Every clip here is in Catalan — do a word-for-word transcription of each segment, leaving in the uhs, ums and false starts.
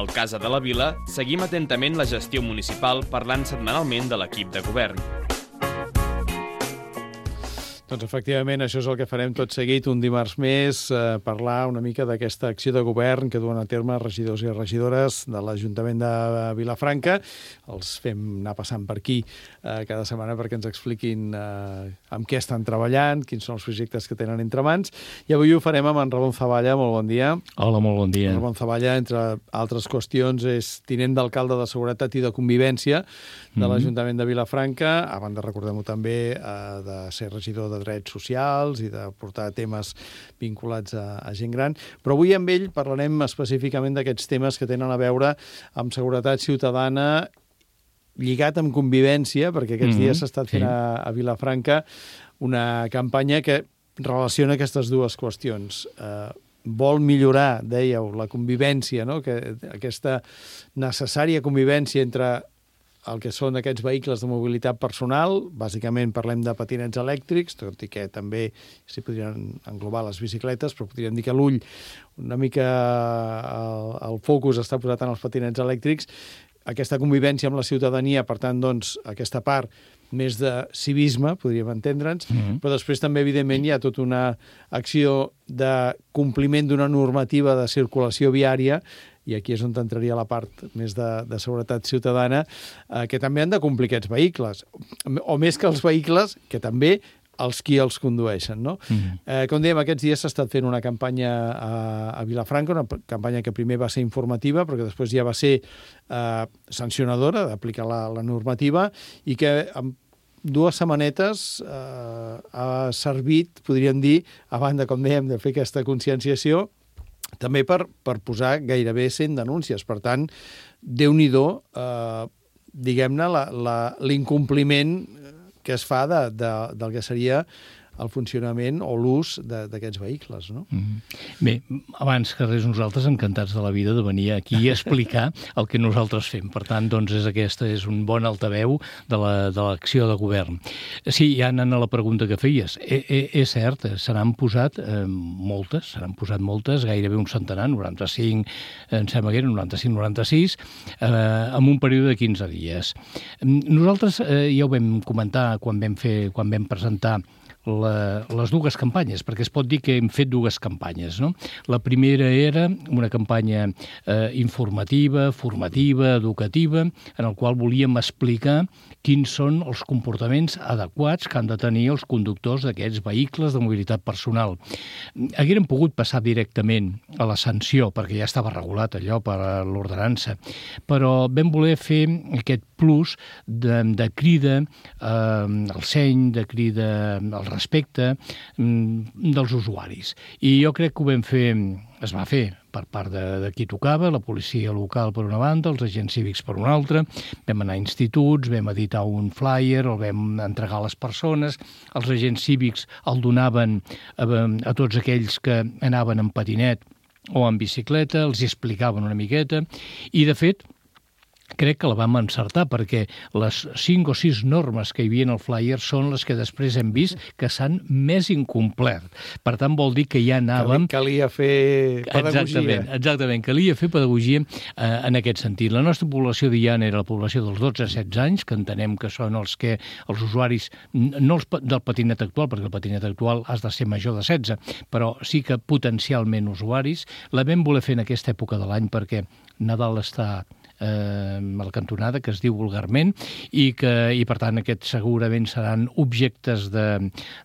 al Casa de la Vila, seguim atentament la gestió municipal parlant setmanalment de l'equip de govern. Doncs efectivament, això és el que farem tot seguit un dimarts més, eh, parlar una mica d'aquesta acció de govern que duen a terme regidors i regidores de l'Ajuntament de Vilafranca. Els fem anar passant per aquí eh, cada setmana perquè ens expliquin eh, amb què estan treballant, quins són els projectes que tenen entre mans. I avui ho farem amb en Ramon Zavalla. Molt bon dia. Hola, molt bon dia. En Ramon Zavalla, entre altres qüestions, és tinent d'alcalde de Seguretat i de Convivència de l'Ajuntament de Vilafranca, a banda, recordem-ho també, eh, de ser regidor de drets socials i de portar temes vinculats a, a gent gran. Però avui amb ell parlarem específicament d'aquests temes que tenen a veure amb seguretat ciutadana lligat amb convivència, perquè aquests mm-hmm. dies s'ha estat fent sí. a, a Vilafranca una campanya que relaciona aquestes dues qüestions. Eh, vol millorar, dèieu, la convivència, no? Que aquesta necessària convivència entre el que són aquests vehicles de mobilitat personal. Bàsicament parlem de patinets elèctrics, tot i que també s'hi podrien englobar les bicicletes, però podríem dir que l'ull, una mica el, el focus està posat en els patinets elèctrics. Aquesta convivència amb la ciutadania, per tant, doncs, aquesta part més de civisme, podríem entendre'ns, mm-hmm. però després també, evidentment, hi ha tota una acció de compliment d'una normativa de circulació viària, i aquí és on entraria la part més de, de seguretat ciutadana, eh, que també han de complir aquests vehicles. O més que els vehicles, que també els qui els condueixen, no? Mm. Eh, com dèiem, aquests dies s'ha estat fent una campanya a, a Vilafranca, una campanya que primer va ser informativa, però que després ja va ser eh, sancionadora d'aplicar la, la normativa, i que amb dues setmanetes eh, ha servit, podríem dir, a banda, com dèiem, de fer aquesta conscienciació, també per, per posar gairebé cent denúncies. Per tant, Déu-n'hi-do, eh, diguem-ne, l'incompliment que es fa de, de, del que seria el funcionament o l'ús d'aquests vehicles, no? Mm-hmm. Bé, abans que res, nosaltres encantats de la vida de venir aquí a explicar el que nosaltres fem. Per tant, doncs, és aquesta és un bon altaveu de l'acció de, de govern. Sí, ja anant a la pregunta que feies, e, e, és cert, se n'han posat eh, moltes, se n'han posat moltes, gairebé un centenar, noranta-cinc, em sembla que eren noranta-cinc noranta-sis, eh, en un període de quinze dies. Nosaltres eh, ja ho vam comentar quan vam, fer, quan vam presentar La, les dues campanyes, perquè es pot dir que hem fet dues campanyes, no? La primera era una campanya eh, informativa, formativa, educativa, en el qual volíem explicar quins són els comportaments adequats que han de tenir els conductors d'aquests vehicles de mobilitat personal. Haguérem pogut passar directament a la sanció, perquè ja estava regulat allò per l'ordenança, però vam voler fer aquest plus de, de crida eh, al seny, de crida al respecte dels usuaris. I jo crec que ho vam fer, es va fer per part de, de qui tocava, la policia local per una banda, els agents cívics per una altra, vam anar a instituts, vam editar un flyer, el vam entregar a les persones, els agents cívics el donaven a, a tots aquells que anaven en patinet o en bicicleta, els hi explicaven una miqueta, i de fet, crec que la vam encertar, perquè les cinc o sis normes que hi havia en el flyer són les que després hem vist que s'han més incomplert. Per tant, vol dir que ja anàvem... Calia fer pedagogia. Exactament, exactament, calia fer pedagogia eh, en aquest sentit. La nostra població diana era la població dels dotze a setze anys, que entenem que són els que els usuaris, no els, del patinet actual, perquè el patinet actual has de ser major de setze, però sí que potencialment usuaris. La vam voler fer en aquesta època de l'any perquè Nadal està a la cantonada, que es diu vulgarment, i que i per tant aquests segurament seran objectes de,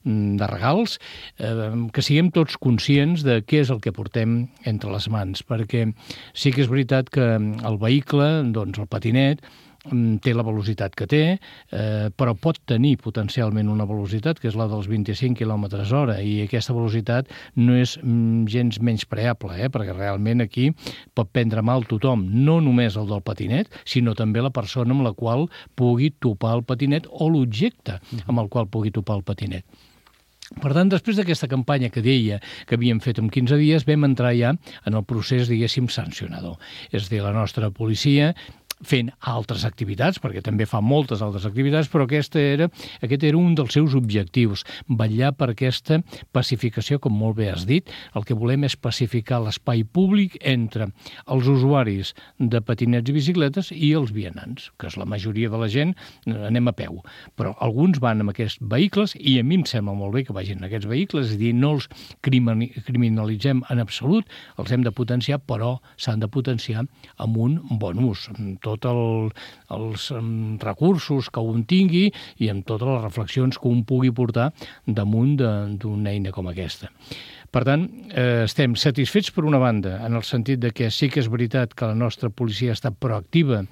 de regals, eh, que siguem tots conscients de què és el que portem entre les mans, perquè sí que és veritat que el vehicle, doncs el patinet, té la velocitat que té, eh, però pot tenir potencialment una velocitat que és la dels vint-i-cinc quilòmetres hora, i aquesta velocitat no és mm, gens menyspreable, eh, perquè realment aquí pot prendre mal tothom, no només el del patinet, sinó també la persona amb la qual pugui topar el patinet o l'objecte amb el qual pugui topar el patinet. Per tant, després d'aquesta campanya que deia que havíem fet en quinze dies, vam entrar ja en el procés, diguéssim, sancionador. És a dir, la nostra policia fent altres activitats, perquè també fa moltes altres activitats, però aquesta era, aquest era un dels seus objectius, vetllar per aquesta pacificació, com molt bé has dit. El que volem és pacificar l'espai públic entre els usuaris de patinets i bicicletes i els vianants, que és la majoria de la gent, anem a peu. Però alguns van amb aquests vehicles, i a mi em sembla molt bé que vagin en aquests vehicles, és a dir, no els criminalitzem en absolut, els hem de potenciar, però s'han de potenciar amb un bon ús, amb tots el, els um, recursos que un tingui i amb totes les reflexions que un pugui portar damunt d'una eina com aquesta. Per tant, eh, estem satisfets per una banda, en el sentit de que sí que és veritat que la nostra policia ha estat proactiva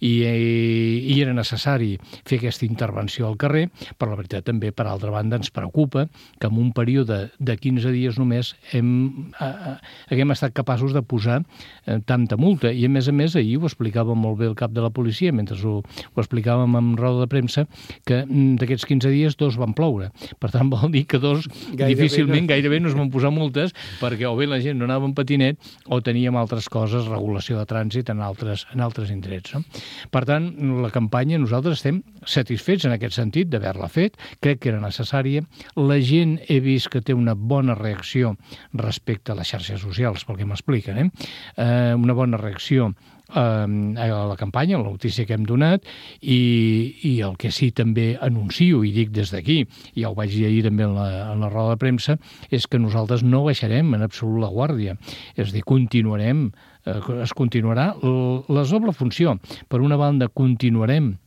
i, i era necessari fer aquesta intervenció al carrer, però la veritat també, per altra banda, ens preocupa que en un període de quinze dies només hem, eh, haguem estat capaços de posar eh, tanta multa. I, a més a més, ahir ho explicava molt bé el cap de la policia, mentre ho, ho explicàvem en roda de premsa, que d'aquests quinze dies dos van ploure. Per tant, vol dir que dos gairebé difícilment, no. gairebé no es van posar multes, perquè o bé la gent no anava en patinet o teníem altres coses, regulació de trànsit en altres, en altres indrets. No? Per tant, la campanya, nosaltres estem satisfets en aquest sentit d'haver-la fet, crec que era necessària. La gent he vist que té una bona reacció respecte a les xarxes socials, pel que m'expliquen, eh? eh? Una bona reacció a la campanya, a la notícia que hem donat, i, i el que sí també anuncio i dic des d'aquí, i ja ho vaig dir ahir també en la, en la roda de premsa, és que nosaltres no baixarem en absolut la guàrdia. És a dir, continuarem, eh, es continuarà la doble funció. Per una banda, continuarem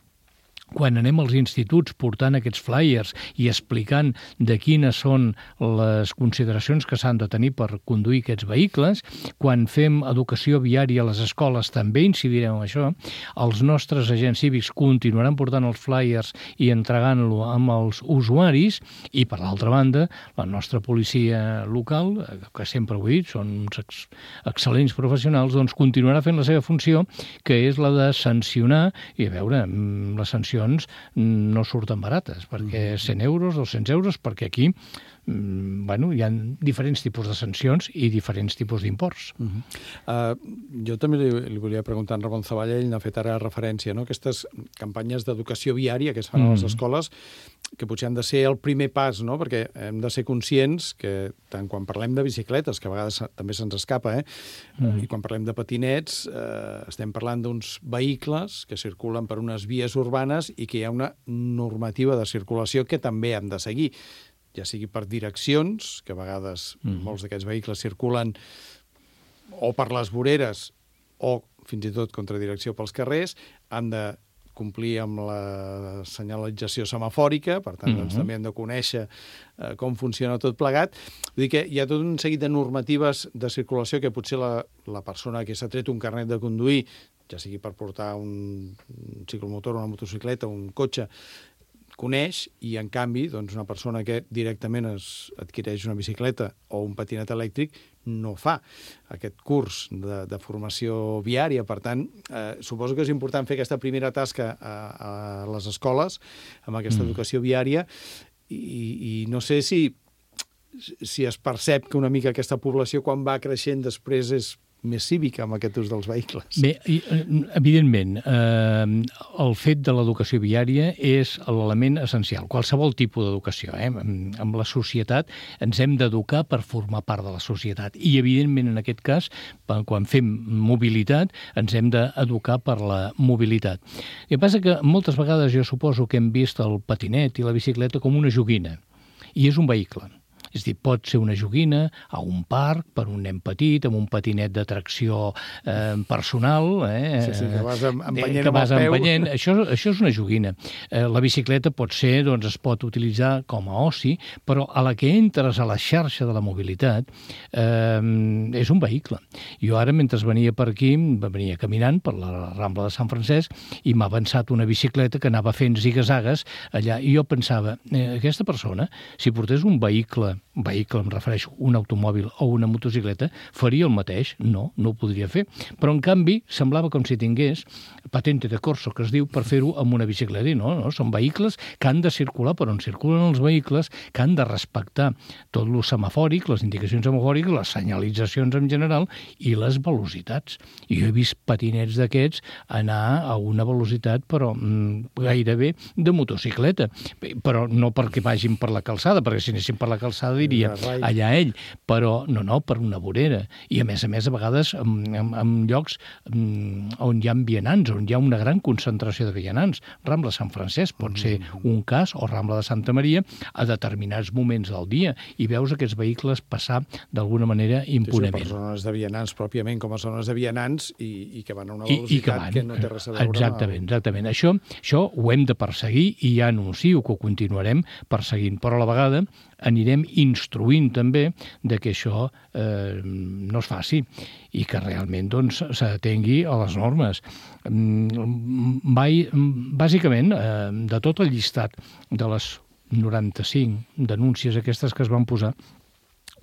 quan anem als instituts portant aquests flyers i explicant de quines són les consideracions que s'han de tenir per conduir aquests vehicles, quan fem educació viària a les escoles també incidirem en això, els nostres agents cívics continuaran portant els flyers i entregant-lo amb els usuaris, i per l'altra banda, la nostra policia local, que sempre ho he dit, són uns ex excel·lents professionals, doncs continuarà fent la seva funció, que és la de sancionar, i a veure, la sanció no surten barates, perquè cent euros, dos-cents euros, perquè aquí bueno, hi ha diferents tipus de sancions i diferents tipus d'imports. Uh -huh. uh, jo també li, li volia preguntar a en Ramon Zavalla, ell n'ha fet ara referència, no? Aquestes campanyes d'educació viària que es fan uh -huh. a les escoles, que potser han de ser el primer pas, no? Perquè hem de ser conscients que tant quan parlem de bicicletes, que a vegades també se'ns escapa, eh? Uh -huh. i quan parlem de patinets, eh, estem parlant d'uns vehicles que circulen per unes vies urbanes i que hi ha una normativa de circulació que també hem de seguir, ja sigui per direccions, que a vegades mm. molts d'aquests vehicles circulen o per les voreres o fins i tot contra direcció pels carrers, han de complir amb la senyalització semafòrica, per tant, mm-hmm. doncs, també hem de conèixer eh, com funciona tot plegat. Vull dir que hi ha tot un seguit de normatives de circulació que potser la, la persona que s'ha tret un carnet de conduir, ja sigui per portar un, un ciclomotor, una motocicleta, un cotxe, coneix, i en canvi doncs, una persona que directament es adquireix una bicicleta o un patinet elèctric no fa aquest curs de, de formació viària. Per tant, eh, suposo que és important fer aquesta primera tasca a, a les escoles amb aquesta mm. educació viària i, i no sé si, si es percep que una mica aquesta població quan va creixent després és més cívica amb aquest ús dels vehicles. Bé, evidentment, eh, el fet de l'educació viària és l'element essencial. Qualsevol tipus d'educació. Eh? Amb la societat ens hem d'educar per formar part de la societat. I, evidentment, en aquest cas, quan fem mobilitat, ens hem d'educar per la mobilitat. El que passa que moltes vegades jo suposo que hem vist el patinet i la bicicleta com una joguina. I és un vehicle. És a dir, pot ser una joguina a un parc per un nen petit, amb un patinet de tracció eh, personal. Eh, sí, sí, que vas empenyent que vas amb el peu. Empenyent. Això, això és una joguina. Eh, la bicicleta pot ser, doncs, es pot utilitzar com a oci, però a la que entres a la xarxa de la mobilitat eh, és un vehicle. Jo ara, mentre venia per aquí, venia caminant per la Rambla de Sant Francesc i m'ha avançat una bicicleta que anava fent ziga-zagues allà, i jo pensava, eh, aquesta persona, si portés un vehicle vehicle, em refereixo, un automòbil o una motocicleta, faria el mateix? No, no ho podria fer. Però, en canvi, semblava com si tingués patente de corso, que es diu, per fer-ho amb una bicicleta. I no, no, són vehicles que han de circular per on circulen els vehicles, que han de respectar tot el semafòric, les indicacions semafòriques, les senyalitzacions en general i les velocitats. I jo he vist patinets d'aquests anar a una velocitat, però mm, gairebé de motocicleta. Però no perquè vagin per la calçada, perquè si anessin per la calçada diria allà ell, però no, no, per una vorera. I a més a més, a vegades, en, en, en llocs on hi ha vianants, on hi ha una gran concentració de vianants. Rambla Sant Francesc pot ser un cas, o Rambla de Santa Maria, a determinats moments del dia, i veus aquests vehicles passar d'alguna manera impunement. Sí, per zones de vianants, pròpiament com a zones de vianants, i, i que van a una velocitat I, i que, van, que no té res a veure. Exactament, exactament. Això, això ho hem de perseguir, i ja anuncio que ho continuarem perseguint, però a la vegada anirem instruint també de que això eh, no es faci i que realment doncs, s'atengui a les normes. Bàsicament, eh, de tot el llistat de les noranta-cinc denúncies aquestes que es van posar,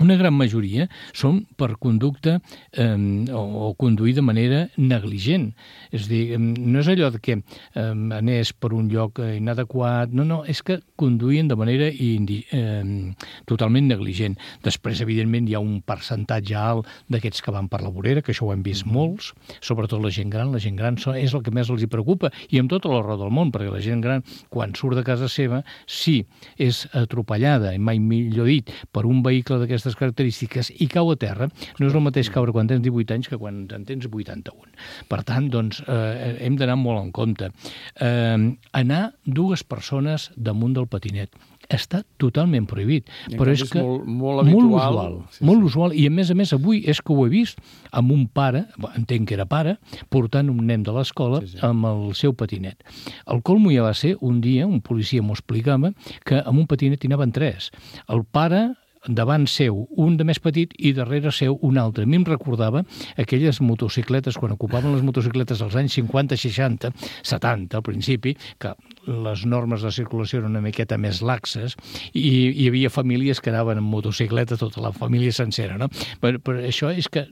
una gran majoria són per conducta eh, o, o conduir de manera negligent. És a dir, no és allò que eh, anés per un lloc inadequat, no, no, és que conduïen de manera indi, eh, totalment negligent. Després, evidentment, hi ha un percentatge alt d'aquests que van per la vorera, que això ho hem vist molts, sobretot la gent gran. La gent gran és el que més els hi preocupa, i amb tota la raó del món, perquè la gent gran, quan surt de casa seva, si és atropellada, i mai millor dit, per un vehicle d'aquestes característiques i cau a terra, no és el mateix caure quan tens divuit anys que quan en tens vuitanta-un. Per tant, doncs, eh, hem d'anar molt en compte. Eh, anar dues persones damunt del patinet està totalment prohibit, però és que molt, molt habitual, molt usual, sí, molt sí. usual, i a més a més avui és que ho he vist amb un pare, entenc que era pare, portant un nen de l'escola sí, sí. amb el seu patinet. El colmo ja va ser un dia, un policia m'ho explicava, que amb un patinet hi anaven tres. El pare davant seu un de més petit i darrere seu un altre. A mi em recordava aquelles motocicletes, quan ocupaven les motocicletes als anys cinquanta, seixanta, setanta al principi, que les normes de circulació eren una miqueta més laxes i hi havia famílies que anaven en motocicleta, tota la família sencera, no? Però, però això és que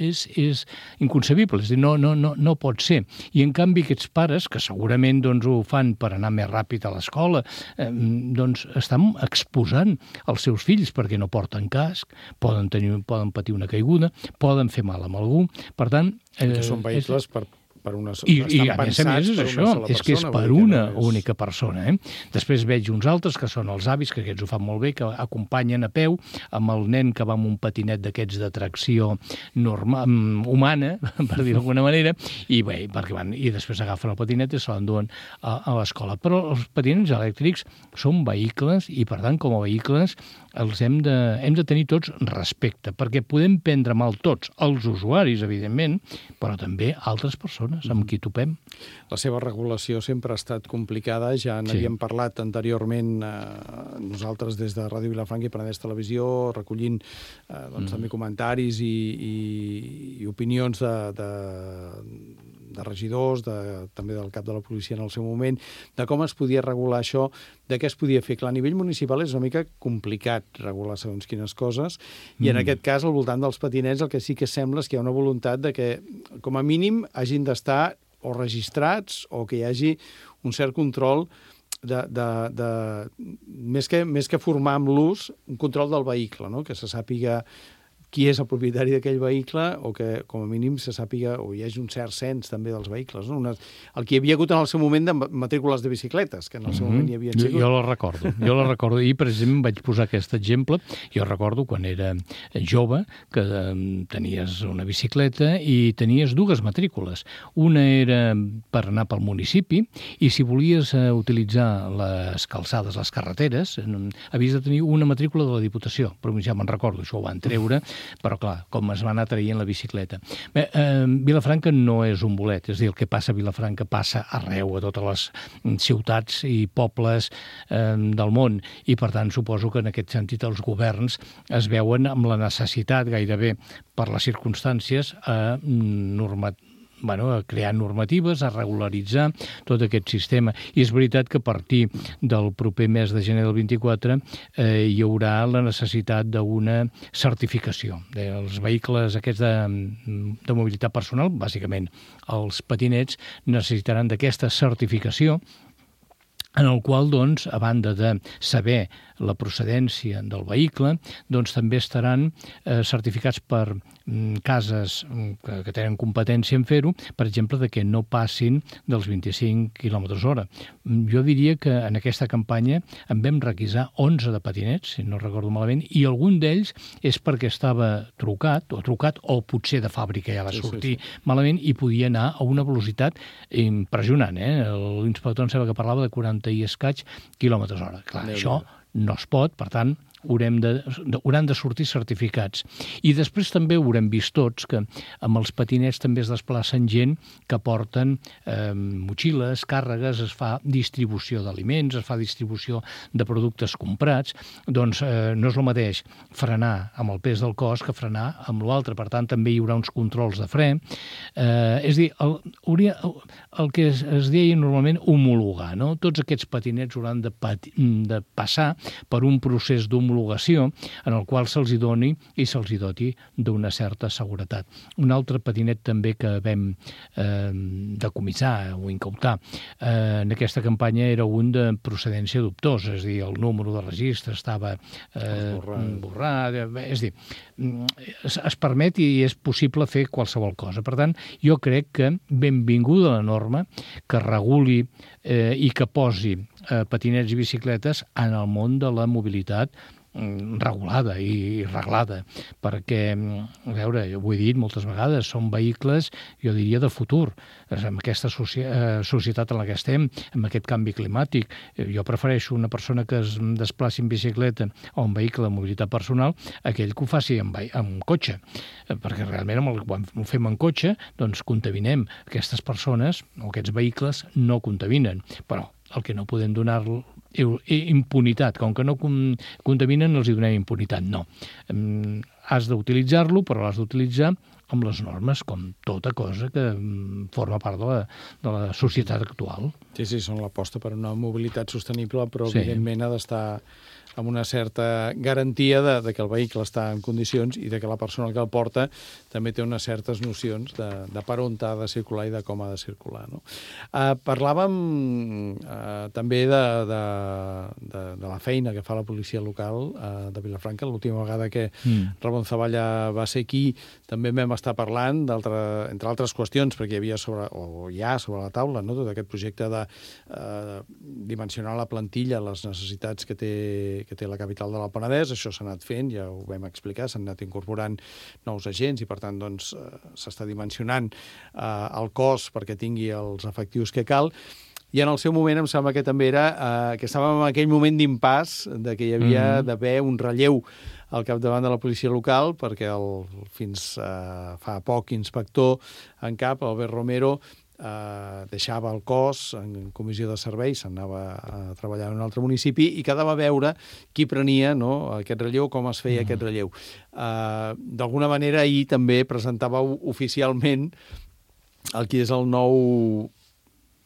és, és inconcebible, és dir, no, no, no, no pot ser. I en canvi aquests pares, que segurament doncs, ho fan per anar més ràpid a l'escola, eh, doncs estan exposant els seus fills perquè no porten casc, poden, tenir, poden patir una caiguda, poden fer mal amb algú. Per tant... Eh, que són vehicles és... per... per una I, i a més a més és això, és que és per una no és... única persona. Eh? Després veig uns altres que són els avis, que aquests ho fan molt bé, que acompanyen a peu amb el nen que va amb un patinet d'aquests de tracció normal, humana, per dir d'alguna manera, i bé, perquè van, i després agafen el patinet i se l'enduen a, a l'escola. Però els patinets elèctrics són vehicles i, per tant, com a vehicles, els hem de, hem de tenir tots respecte, perquè podem prendre mal tots, els usuaris, evidentment, però també altres persones amb qui topem. La seva regulació sempre ha estat complicada, ja n'havíem sí. parlat anteriorment eh, nosaltres des de Ràdio Vilafranca i Penedès Televisió, recollint eh, doncs, mm. també comentaris i, i, i opinions de, de, de regidors, de, també del cap de la policia en el seu moment, de com es podia regular això, de què es podia fer. Clar, a nivell municipal és una mica complicat regular segons quines coses, i en mm. aquest cas, al voltant dels patinets, el que sí que sembla és que hi ha una voluntat de que, com a mínim, hagin d'estar o registrats o que hi hagi un cert control de, de, de més que, més que formar amb l'ús, un control del vehicle, no? Que se sàpiga qui és el propietari d'aquell vehicle o que, com a mínim, se sàpiga o hi hagi un cert cens també dels vehicles. No? Una, el que hi havia hagut en el seu moment de matrícules de bicicletes, que en el seu mm-hmm. moment hi havia sigut. Jo, jo la recordo, jo la recordo. I, precisament, vaig posar aquest exemple. Jo recordo quan era jove que tenies una bicicleta i tenies dues matrícules. Una era per anar pel municipi i si volies utilitzar les calçades, les carreteres, havies de tenir una matrícula de la Diputació. Però ja me'n recordo, això ho van treure, però clar, com es va anar traient la bicicleta. Bé, eh, Vilafranca no és un bolet, és a dir, el que passa a Vilafranca passa arreu, a totes les ciutats i pobles eh, del món, i per tant suposo que en aquest sentit els governs es veuen amb la necessitat gairebé per les circumstàncies a norma bueno, a crear normatives, a regularitzar tot aquest sistema. I és veritat que a partir del proper mes de gener del vint-i-quatre eh, hi haurà la necessitat d'una certificació. Els vehicles aquests de, de mobilitat personal, bàsicament els patinets, necessitaran d'aquesta certificació en el qual, doncs, a banda de saber la procedència del vehicle, doncs també estaran eh, certificats per mm, cases que, que tenen competència en fer-ho, per exemple, de que no passin dels vint-i-cinc quilòmetres hora. Jo diria que en aquesta campanya en vam requisar onze de patinets, si no recordo malament, i algun d'ells és perquè estava trucat, o trucat, o potser de fàbrica ja va sí, sortir sí, sí. malament i podia anar a una velocitat impressionant. Eh? L'inspector em sembla que parlava de quaranta i escaig quilòmetres hora. Clar, Déu això no es pot, per tant, haurem de, hauran de sortir certificats. I després també haurem vist tots que amb els patinets també es desplacen gent que porten eh, motxilles, càrregues, es fa distribució d'aliments, es fa distribució de productes comprats, doncs eh, no és el mateix frenar amb el pes del cos que frenar amb l'altre. Per tant, també hi haurà uns controls de fre. Eh, és a dir, el, hauria, el que es, es deia normalment homologar, no? Tots aquests patinets hauran de, pati, de passar per un procés d'homologació en el qual se'ls hi doni i se'ls hi doti d'una certa seguretat. Un altre patinet també que vam eh, decomissar o incautar eh, en aquesta campanya era un de procedència dubtosa, és a dir, el número de registre estava eh, borrat, és a dir, es, es permet i és possible fer qualsevol cosa. Per tant, jo crec que benvinguda la norma que reguli eh, i que posi eh, patinets i bicicletes en el món de la mobilitat regulada i reglada, perquè, a veure, jo ho he dit moltes vegades, són vehicles, jo diria, de futur. En aquesta societat en la que estem, amb aquest canvi climàtic, jo prefereixo una persona que es desplaci en bicicleta o en vehicle de mobilitat personal, aquell que ho faci amb, amb cotxe, perquè realment amb el, quan ho fem en cotxe, doncs contaminem. Aquestes persones o aquests vehicles no contaminen, però el que no podem donar impunitat. Com que no contaminen, els hi donem impunitat. No. Has d'utilitzar-lo, però l'has d'utilitzar amb les normes, com tota cosa que forma part de la, de la societat actual. Sí, sí, són l'aposta per una mobilitat sostenible, però sí, evidentment ha d'estar amb una certa garantia de, de que el vehicle està en condicions i de que la persona que el porta també té unes certes nocions de, de per on ha de circular i de com ha de circular. No? Uh, parlàvem uh, també de, de, de, de la feina que fa la policia local uh, de Vilafranca. L'última vegada que mm. Ramon Zavalla va ser aquí també vam estar parlant, entre altres qüestions, perquè hi havia sobre, o hi ha sobre la taula, no? Tot aquest projecte de uh, dimensionar la plantilla, les necessitats que té que té la capital de la Penedès. Això s'ha anat fent, ja ho vam explicar, s'han anat incorporant nous agents i, per tant, doncs, s'està dimensionant eh, el cos perquè tingui els efectius que cal. I en el seu moment em sembla que també era eh, que estàvem en aquell moment d'impàs de que hi havia mm-hmm. d'haver un relleu al capdavant de la policia local, perquè el, fins eh, fa poc inspector en cap, Albert Romero, Uh, deixava el cos en comissió de serveis, s'anava a treballar en un altre municipi i quedava a veure qui prenia, no, aquest relleu, com es feia mm. aquest relleu. Uh, D'alguna manera, ahir també presentava oficialment el qui és el nou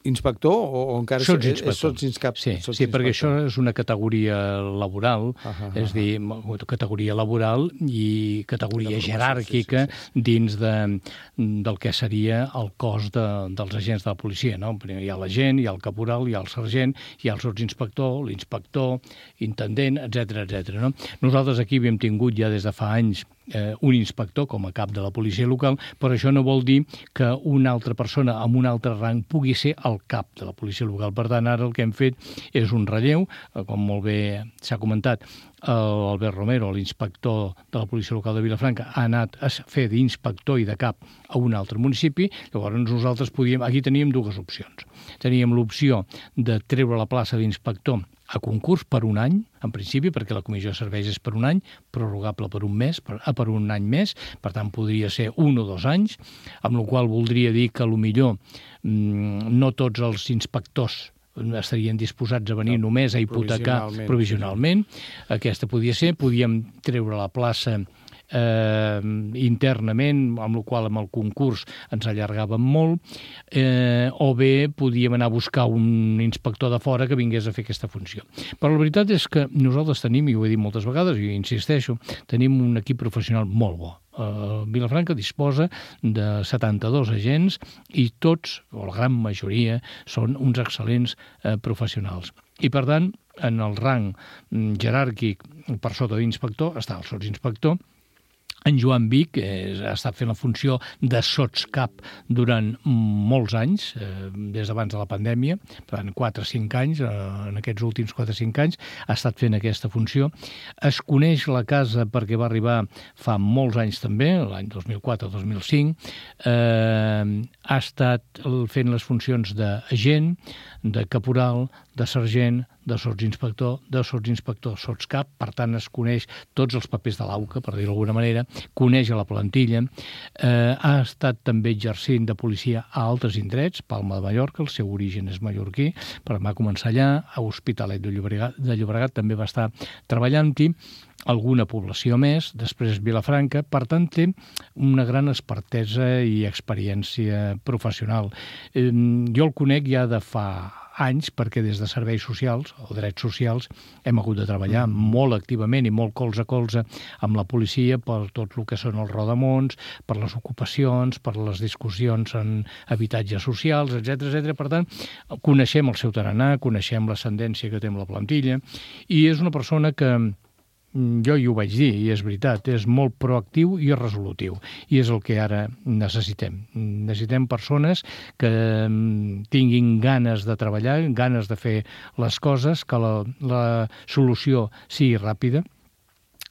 inspector o, o encara... Sots inspector. Sots inscap, sí, sots sí, perquè això és una categoria laboral, uh -huh, és a dir, categoria laboral i categoria jeràrquica sí, sí, sí. dins de, del que seria el cos de, dels agents de la policia. No? Hi ha l'agent, hi ha el caporal, hi ha el sergent, hi ha el sotsinspector, l'inspector, intendent, etcètera, etcètera. No? Nosaltres aquí havíem tingut ja des de fa anys Eh, un inspector com a cap de la policia local, però això no vol dir que una altra persona amb un altre rang pugui ser el cap de la policia local. Per tant, ara el que hem fet és un relleu, eh, com molt bé s'ha comentat, l'Albert Romero, l'inspector de la policia local de Vilafranca, ha anat a fer d'inspector i de cap a un altre municipi. Llavors nosaltres podíem... Aquí teníem dues opcions. Teníem l'opció de treure la plaça d'inspector a concurs per un any, en principi, perquè la comissió de serveis és per un any, prorrogable per un mes, per, per un any més, per tant podria ser un o dos anys, amb la qual voldria dir que potser mmm, no tots els inspectors estarien disposats a venir no, només a hipotecar provisionalment. provisionalment. Aquesta podia ser, podíem treure la plaça eh, internament, amb el qual amb el concurs ens allargàvem molt, eh, o bé podíem anar a buscar un inspector de fora que vingués a fer aquesta funció. Però la veritat és que nosaltres tenim, i ho he dit moltes vegades, i insisteixo, tenim un equip professional molt bo. Uh, Vilafranca disposa de setanta-dos agents i tots, o la gran majoria, són uns excel·lents uh, professionals. I, per tant, en el rang jeràrquic per sota d'inspector està el sotsinspector. En Joan Vic eh, ha estat fent la funció de sotscap durant molts anys, eh, des d'abans de la pandèmia, per tant, quatre o cinc anys, eh, en aquests últims quatre o cinc anys, ha estat fent aquesta funció. Es coneix la casa perquè va arribar fa molts anys també, l'any dos mil quatre dos mil cinc, eh, ha estat fent les funcions d'agent, de caporal, de sergent, de sotsinspector, de sotsinspector sotscap, per tant es coneix tots els papers de l'AUCA, per dir-ho d'alguna manera, coneix a la plantilla, eh, ha estat també exercint de policia a altres indrets, Palma de Mallorca, el seu origen és mallorquí, però va començar allà, a Hospitalet de Llobregat, de Llobregat també va estar treballant-hi, alguna població més, després Vilafranca, per tant té una gran expertesa i experiència professional. Eh, jo el conec ja de fa anys, perquè des de serveis socials o drets socials hem hagut de treballar molt activament i molt colze a colze amb la policia per tot el que són els rodamons, per les ocupacions, per les discussions en habitatges socials, etcètera, etcètera. Per tant, coneixem el seu tarannà, coneixem l'ascendència que té amb la plantilla i és una persona que jo hi ho vaig dir, i és veritat, és molt proactiu i resolutiu, i és el que ara necessitem. Necessitem persones que tinguin ganes de treballar, ganes de fer les coses, que la, la solució sigui ràpida.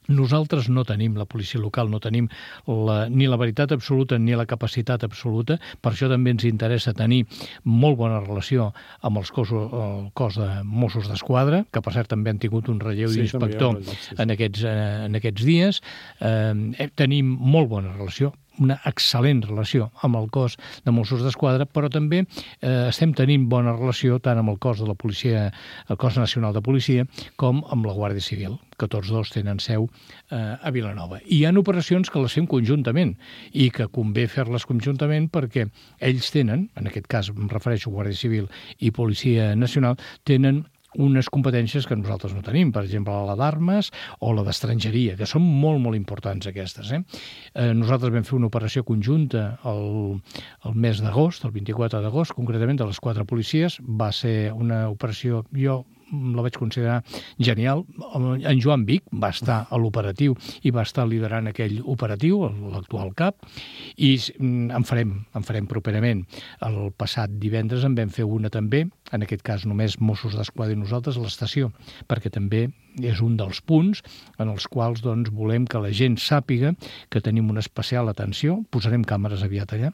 Nosaltres no tenim, la policia local, no tenim la, ni la veritat absoluta ni la capacitat absoluta, per això també ens interessa tenir molt bona relació amb els cossos, el cos de Mossos d'Esquadra, que per cert també han tingut un relleu sí, d'inspector sí, sí. en, aquests, en aquests dies. Eh, tenim molt bona relació, una excel·lent relació amb el cos de Mossos d'Esquadra, però també eh, estem tenint bona relació tant amb el cos de la policia, el cos nacional de policia, com amb la Guàrdia Civil, que tots dos tenen seu eh, a Vilanova. I hi ha operacions que les fem conjuntament i que convé fer-les conjuntament perquè ells tenen, en aquest cas em refereixo a Guàrdia Civil i Policia Nacional, tenen unes competències que nosaltres no tenim, per exemple, la d'armes o la d'estrangeria, que són molt, molt importants aquestes. Eh? Eh, nosaltres vam fer una operació conjunta el, el mes d'agost, el vint-i-quatre d'agost, concretament de les quatre policies. Va ser una operació, jo la vaig considerar genial. En Joan Vic va estar a l'operatiu i va estar liderant aquell operatiu, l'actual cap, i en farem, en farem properament. El passat divendres en vam fer una també, en aquest cas només Mossos d'Esquadra i nosaltres, a l'estació, perquè també és un dels punts en els quals doncs, volem que la gent sàpiga que tenim una especial atenció, posarem càmeres aviat allà,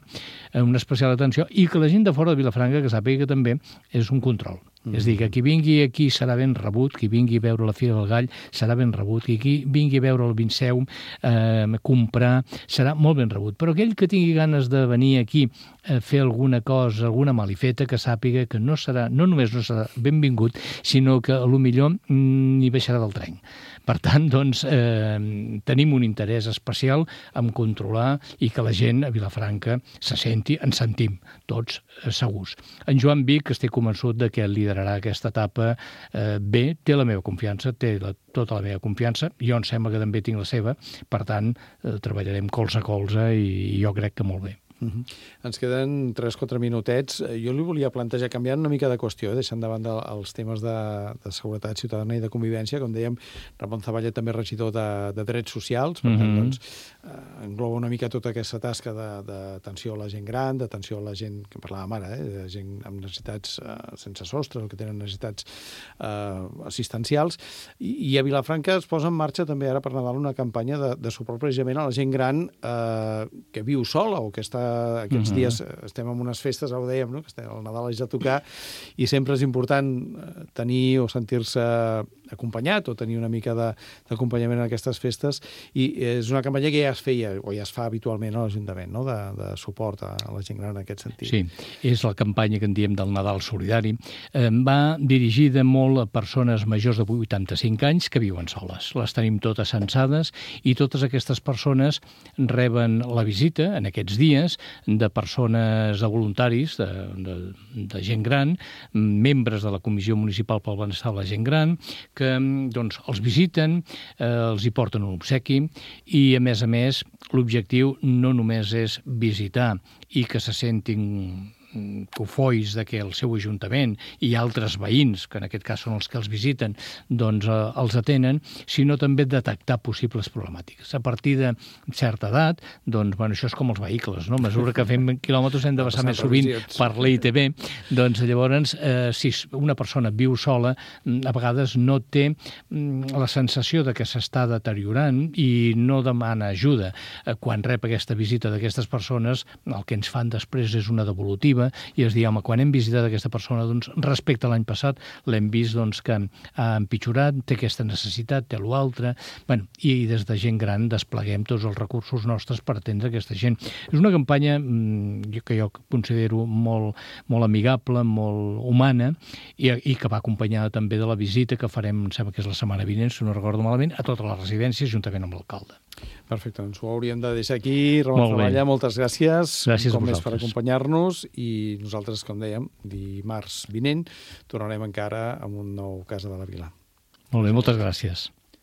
una especial atenció, i que la gent de fora de Vilafranca que sàpiga que també és un control. Mm. És a dir, que qui vingui aquí serà ben rebut, qui vingui a veure la Fira del Gall serà ben rebut, i qui vingui a veure el Vinceum, eh, comprar, serà molt ben rebut. Però aquell que tingui ganes de venir aquí a fer alguna cosa, alguna malifeta, que sàpiga que no serà, no només no serà benvingut, sinó que a lo millor n'hi baixarà del tren. Per tant, doncs, eh, tenim un interès especial en controlar i que la gent a Vilafranca se senti, ens sentim tots eh, segurs. En Joan Vic estic convençut de que liderarà aquesta etapa eh, bé, té la meva confiança, té la, tota la meva confiança, jo em sembla que també tinc la seva, per tant, eh, treballarem colze a colze i, i jo crec que molt bé. Uh-huh. Ens queden tres o quatre minutets. Jo li volia plantejar, canviant una mica de qüestió, eh, deixant de banda els temes de, de seguretat ciutadana i de convivència. Com dèiem, Ramon Zavalla també regidor de, de drets socials, per uh-huh. tant, doncs, eh, engloba una mica tota aquesta tasca d'atenció a la gent gran, d'atenció a la gent, que parlàvem ara, eh, de gent amb necessitats eh, sense sostre, o que tenen necessitats eh, assistencials. I, I a Vilafranca es posa en marxa també ara per Nadal una campanya de, de suport precisament a la gent gran eh, que viu sola o que està aquests uh-huh. dies estem en unes festes, ho dèiem, no? Que estem, el Nadal és a tocar i sempre és important tenir o sentir-se acompanyat o tenir una mica d'acompanyament en aquestes festes, i és una campanya que ja es feia o ja es fa habitualment a l'Ajuntament, no? de, de suport a la gent gran en aquest sentit. Sí, és la campanya que en diem del Nadal Solidari. Eh, va dirigida molt a persones majors de vuitanta-cinc anys que viuen soles. Les tenim totes censades i totes aquestes persones reben la visita en aquests dies de persones, de voluntaris, de, de, de gent gran, membres de la Comissió Municipal pel Benestar de la Gent Gran, que doncs, els visiten, eh, els hi porten un obsequi i, a més a més, l'objectiu no només és visitar i que se sentin cofois de que el seu ajuntament i altres veïns, que en aquest cas són els que els visiten, doncs eh, els atenen, sinó també detectar possibles problemàtiques. A partir de certa edat, doncs, bueno, això és com els vehicles, no? A mesura que fem quilòmetres hem de passar més sovint per l'I T B, doncs llavors, eh, si una persona viu sola, a vegades no té la sensació de que s'està deteriorant i no demana ajuda. Eh, quan rep aquesta visita d'aquestes persones, el que ens fan després és una devolutiva i es diu, home, quan hem visitat aquesta persona, doncs, respecte a l'any passat, l'hem vist doncs, que ha empitjorat, té aquesta necessitat, té l'altre, bueno, i des de gent gran despleguem tots els recursos nostres per atendre aquesta gent. És una campanya mmm, que jo considero molt, molt amigable, molt humana, i, i que va acompanyada també de la visita que farem, em sembla que és la setmana vinent, si no recordo malament, a totes les residències, juntament amb l'alcalde. Perfecte, doncs ho hauríem de deixar aquí. Ramon Treballa, moltes gràcies. Gràcies a com vosaltres. més per acompanyar-nos, i nosaltres, com dèiem, dimarts vinent tornarem encara amb un nou Casa de la Vila. Molt bé, moltes gràcies.